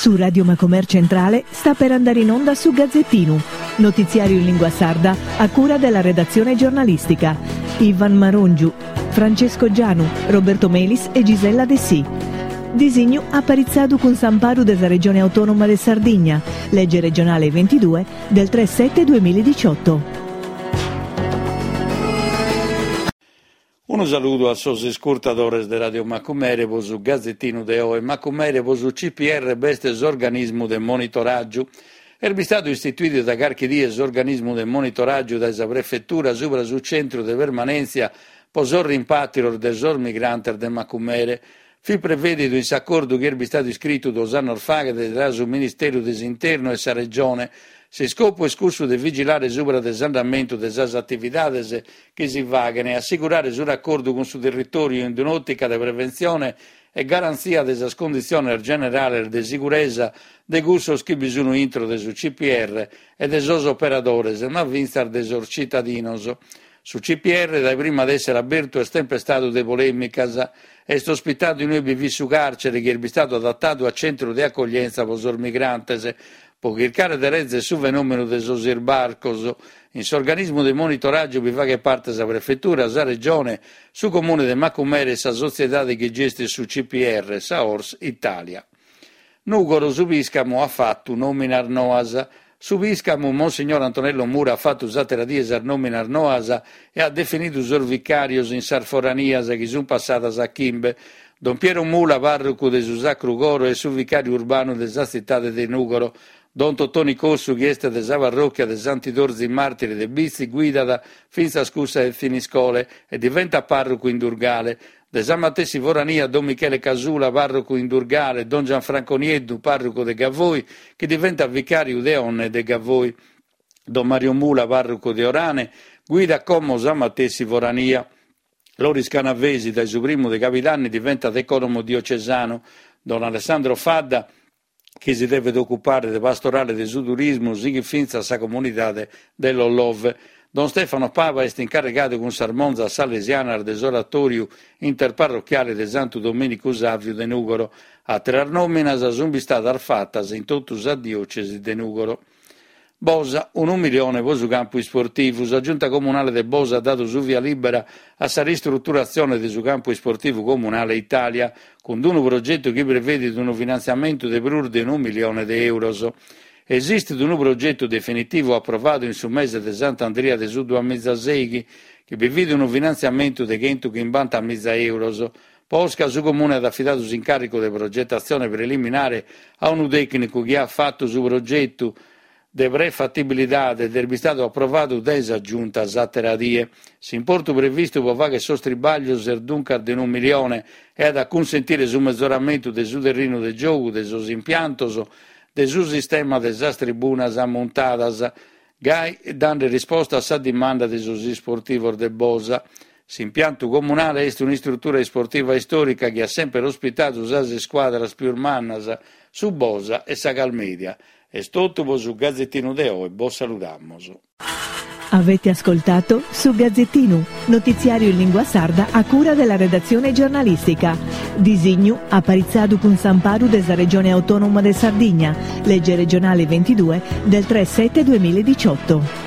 Su Radio Macomer Centrale sta per andare in onda su Gazzettinu, notiziario in lingua sarda a cura della redazione giornalistica. Ivan Marongiu, Francesco Gianu, Roberto Melis e Gisella Dessì. Disignu aparitzadu cun s'amparu de sa Regione Autonoma de Sardigna, lege regionale 22 del 3 7 2018. Unu saludu a sos iscurtadores de Radio Macumere po su Gazetinu de oe. Macumere po su CPR b'est s'organismu de monitoràgiu. Est bistadu istituidu da carchi die s'organismu de monitoràgiu dae sa Prefetura subra su centru de permanèntzia po sos rimpàtrios de sos migrantes de Macumere. Fit prevèdidu in s'acordu chi est bistadu iscritu duos annos faghet tra su Ministeru de s'Internu e sa Regione. S'iscopu est cussu de vigilare subra de s'andamentu de sas atividades chi si faghen e assigurare su racordu cun su territòriu in un'òtica de preventzione e garantzia de sas conditziones generales de siguresa de cussos chi bi sun intro de su CPR e de sos operadores, ma fintzas de sos citadinos. Su CPR dae prima de èssere abertu est tempestadu de polèmicas. Est ospitadu in ue bi fit su càrcere chi est bistadu adatadu a centru de acoglienza pro sos migrantes, pro chircare de rèzere su fenòmenu de sos isbarcos. In s'organismu de monitoràgiu bi faghet parte sa Prefetura, sa Regione, su Comune de Macumere e sa sotziedade chi gestit su CPR, sa Ors Italia. Nùgoro, su pìscamu at fatu nòminas noas. Su pìscamu, Monsignor Antonello Mura, at fatu s'àtera die sas nòminas noas e at definidu sos vicàrios in sas foranias, chi sunt passadas a chimbe. Don Piero Mula, pàrrocu de su Sacru Coro, est su vicàriu urbanu de sa tzitade de Nùgoro. Don Totoni Cossu, chi est de sa parròchia de Sant'Idorzi Màrtiri de Bitzi, guidat fintzas cussa de Thiniscole e diventat pàrrocu in Durgale. De sa matessi forania don Michele Casula, pàrrocu in Durgale, don Gianfranco Nieddu, pàrrocu de Gavoi, chi diventat vicàriu de Onne e de Gavoi. Don Mario Mula, pàrrocu de Orane, guidat como sa matessi forania. Loris Canavesi, dae su primu de cabidanni diventat ecònomu diocesanu. Don Alessandro Fadda, chi si devet ocupare de pastorale de su turismu, sighit fintzas sa comunidade de Lollove. Don Stefano Paba est incarrigadu cun sas monzas salesianas de s'oratòriu interparrochiale de Santu Domìnicu Sàviu de Nùgoro. Àteras nòminas sunt bistadas fatas in totu sa diòcesi de Nùgoro. Bosa, unu milione pro su campu isportivu. Sa Giunta Comunale de Bosa at dadu su via lìbera a sa ristruturatzione de su campu isportivu comunale Italia, cun unu progetu chi prevedit unu finantziamentu de prus de unu milione de èuros. Esistit unu progetu definitivu aprovadu in su mese de Sant'Andria de su duamizasèighi, chi bi fit unu finantziamentu de chentuchimbantamiza èuros. Posca su Comune at afidadu s'incàrrigu de progetatzione preliminare a unu tècnicu chi at fatu su progetu de prefatibilidade ed est bistadu aprovadu dae sa Giunta s'àtera die. S'importu previstu pro fàghere sos tribàglios est duncas de unu milione e at a cunsentire su mezoramentu de su terrinu de giogu, de sos impiantos, de su sistema de sas tribunas ammuntadas, gai dande risposta a sa dimanda de sos isportivos de Bosa. S'impiantu comunale est un'istrutura isportiva istòrica chi at semper ospitadu sas iscuadras pius mannas, su Bosa e sa Calmedia. Est totu pro su Gazetinu de oe, bos saludamus. Avete ascoltato Su Gazzettinu, notiziario in lingua sarda a cura della redazione giornalistica. Disignu aparitzadu cun s'amparu de sa Regione Autonoma de Sardigna, legge regionale 22 del 3 7 2018.